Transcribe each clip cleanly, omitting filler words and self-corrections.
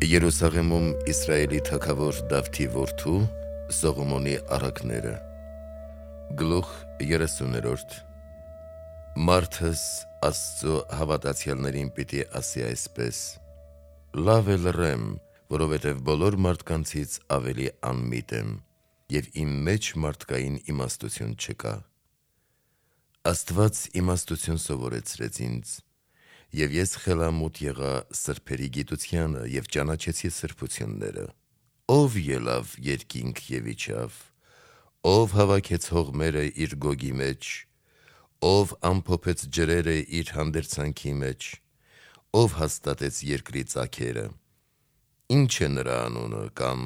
Երուսաղեմում Իսրայելի թագավոր Դավթի որդու Սողոմոնի առակները Գլուխ 30-րդ Մարդս Աստծո հավատացյալներին պիտի ասի այսպես. Լավ է լռեմ, որովհետև բոլոր մարդկանցից ավելի անմիտ եմ, և իմ մեջ մարդկային իմաստություն չկա։ Աստված իմաստություն սովորեցրեց ինձ, և ես խելամուտ եղա սրբերի գիտությանը և ճանաչեցի սրբությունները։ Ով ելավ երկինք և իջավ, ով հավաքեց հողմերը իր գոգի մեջ, ով ամփոփեց ջրերը իր հանդերձանքի մեջ, ով հաստատեց երկրի ծագերը, ինչ է նրա անունը կամ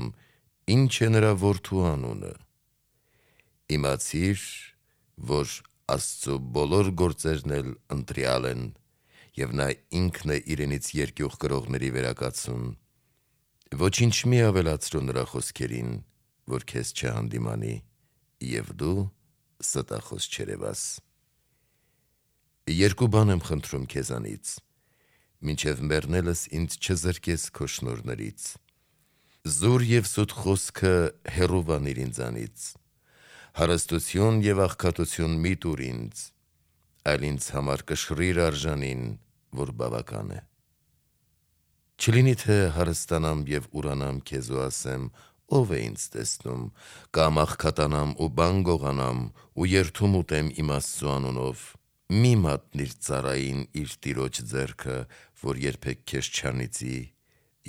ինչ է նրա որդու անունը։ Իմացիր, որ Աստծո բոլոր գործերն էլ ընտրյալ են, և նա ինքն է իրենից երկյուղ կրողների վերակացուն։ Ոչինչ մի ավելացրու նրա խոսքերին, որ քեզ չհանդիմանի, և դու ստախոս չերևաս։ Երկու բան եմ խնդրում քեզանից, մինչև մեռնելս ինձ չզրկես քո շնորհներից։ Զուր և սուտ խոսքը հեռու վանիր ինձանից, հարստություն և աղքատություն մի տուր ինձ, այլ ինձ համար կշռիր արժանին, որ բավական է։ Չլինի թե հարստանամ և ուրանամ քեզ ու ասեմ. ով է ինձ տեսնում, կամ աղքատանամ ու բան գողանամ ու երդում ուտեմ իմ Աստծու անունով։ Մի մատնիր ծառային իր տիրոջ ձեռքը, որ երբեք քեզ չանիծի,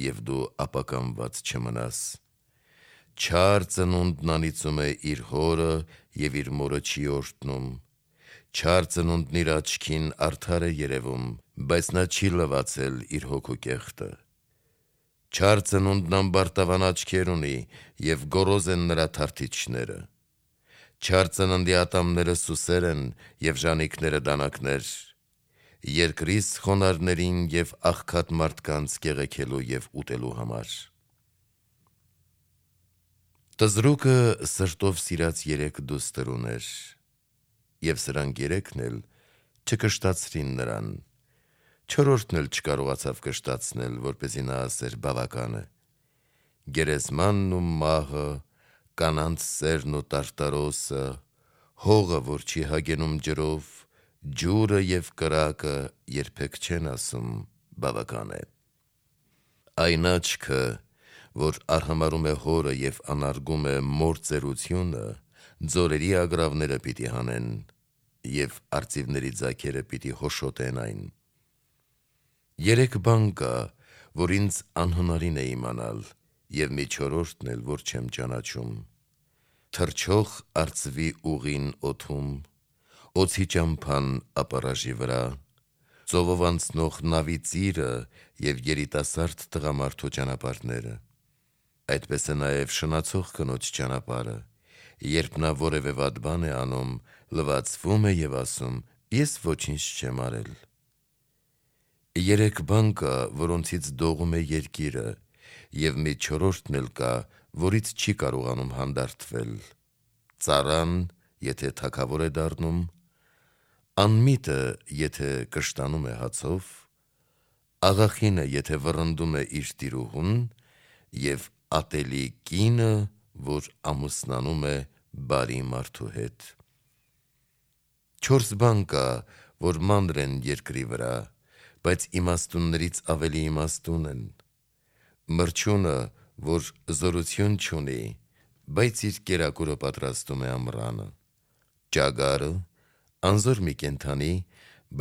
և դու ապականված չմնաս։ Չար ծնունդն անիծում է իր հորը և իր մորը չի օրհտնում։ Չար ծնունդն իր աչքին արդար է երևում, բայց նա չի լվացել իր հոգու կեղտը։ Չար ծնունդն ամբարտավան աչքեր ունի, և գոռոզ են նրա թարթիչները։ Չար ծննդի ատամները սուսեր են, և ժանիքները դանակներ, երկրից խոնարհներին և աղքատ մարդկանց կեղեքելու և ուտելու համար։ Տզրուկը սրտով սիրած 3 դուստր ուներ, և սրանք 3-ն էլ չկշտացրին նրան, 4-րդն էլ չկարողացավ կշտացնել, որպեսզի նա ասեր բավական է։ Գերեզմանն ու մահը, կանանց սերն ու տարտարոսը, հողը, որ չի հագենում ջրով, ջուրը և կրակը երբեք չեն ասում բավական է։ Այն աչքը, որ արհամարհում է հորը և անարգում է մոր ծերությունը, ձորերի ագռավները պիտի հանեն, և արծիվների ձագերը պիտի հոշոտեն այն։ 3 բան կա, որ ինձ անհնարին է իմանալ, և մի 4-րդն էլ, որ չեմ ճանաչում. թռչող արծվի ուղին օդում, օձի ճամփան ապառաժի վրա, ծովով անցնող նավի ծիրը և երիտասարդ տղամարդու ճանապարհները։ Այդպես է նաև շնացող կնոջ ճանապարհը, երբ նա որևէ վատ բան է անում, լվացվում է և ասում. ես ոչինչ չեմ արել։ 3 բան կա, որոնցից դողում է երկիրը, և մի 4-րդն էլ կա, որից չի կարողանում հանդարտվել. ծառան, եթե թագավոր է դառնում, անմիտը, եթե կշտանում է հացով, աղախինը, եթե վռնդում է իր տիրուհուն, և ատելի կինը, որ ամուսնանում է բարի մարդու հետ։ 4 բան կա, որ մանր են երկրի վրա, բայց իմաստուններից ավելի իմաստուն են. մրջյունը, որ զորություն չունի, բայց իր կերակուրը պատրաստում է ամռանը, ճագարը, անզոր մի կենդանի,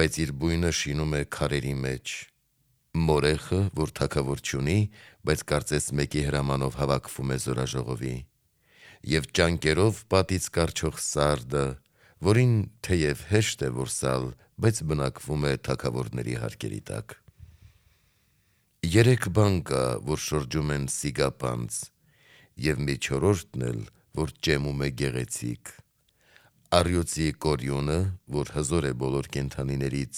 բայց իր բույնը շինում է քարերի մեջ, մորեխը, որ թագավոր չունի, բայց կարծես մեկի հրամանով հավաքվում է զորաժողովի, և ճանկերով պատից կառչող սարդը, որին թեև հեշտ է որսալ, բայց բնակվում է թագավորների հարկերի տակ։ 3 բան կա, որ շրջում են սիգապանծ, և մի 4-րդն էլ, որ ճեմում է գեղեցիկ. առյուծի կորյունը, որ հզոր է բոլոր կենդանիներից,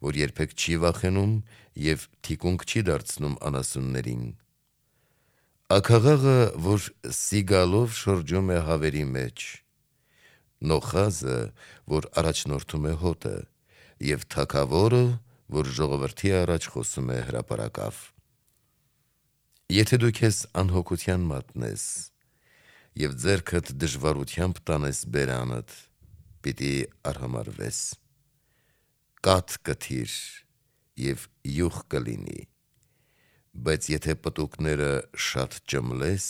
որ երբեք չի վախենում և թիկունք չի դարձնում անասուններին, աքաղաղը, որ սիգալով շրջում է հավերի մեջ, նոխազը, որ առաջնորդում է հոտը, և թագավորը, որ ժողովրդի առաջ խոսում է հրապարակավ։ Եթե դու քեզ անհոգության մատնես եւ ձեռքդ դժվարությամբ տանես բերանդ, պիտի արհամարվես։ Կաթ կթիր եւ յուղ կլինի, բայց եթե պտուկները շատ ճմլես,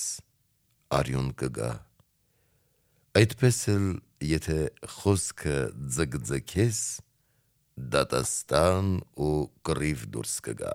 արյուն կգա։ Այդպես էլ եթե խոսքը ձգձգես, դատաստան ու կռիվ դուրս կգա։